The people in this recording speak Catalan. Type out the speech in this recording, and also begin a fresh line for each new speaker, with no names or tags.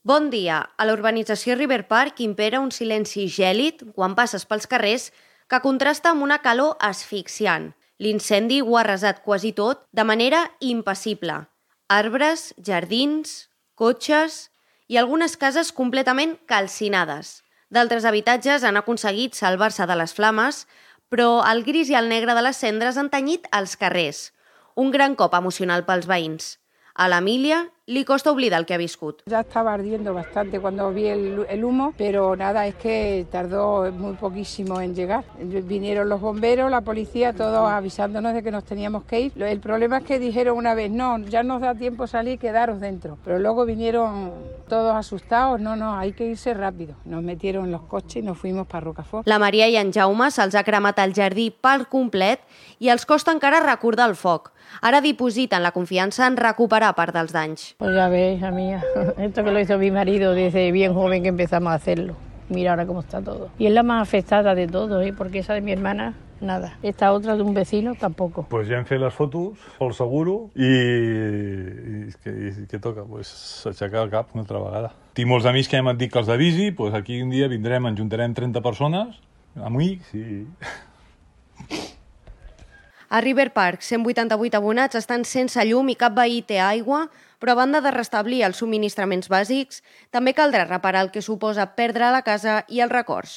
Bon dia. A la urbanització River Park impera un silenci gèlid quan passes pels carrers que contrasta amb una calor asfixiant. L'incendi ho ha arrasat quasi tot de manera impassible. Arbres, jardins, cotxes i algunes cases completament calcinades. D'altres habitatges han aconseguit salvar-se de les flames, però el gris i el negre de les cendres han tenyit els carrers. Un gran cop emocional pels veïns. A l'Emília li costa oblidar el que ha viscut.
Ya estaba ardiendo bastante cuando vi el humo, pero nada, es que tardó muy poquísimo en llegar. Vinieron los bomberos, la policía, todos avisándonos de que nos teníamos que ir. El problema es que dijeron una vez, no, ya nos da tiempo salir, quedaros dentro. Pero luego vinieron todos asustados, no, hay que irse rápido. Nos metieron en los coches y nos fuimos para Rocafort.
La Maria i en Jaume se'ls ha cremat el jardí per complet i els costa encara recordar el foc. Ara dipositen la confiança en recuperar part dels danys.
Pues ya ves, hija mía, esto que lo hizo mi marido desde bien joven que empezamos a hacerlo. Mira ahora cómo está todo. Y es la más afectada de todo, porque esa de mi hermana, nada. Esta otra de un vecino, tampoco.
Pues ja hem fet les fotos pel seguro i què toca? Pues aixecar el cap una altra vegada. Tinc molts amics que ja m'han dit que els avisi, pues aquí un dia vindrem, en juntarem 30 persones, amics i...
A River Park, 188 abonats estan sense llum i cap veí té aigua, però a banda de restablir els subministraments bàsics, també caldrà reparar el que suposa perdre la casa i els records.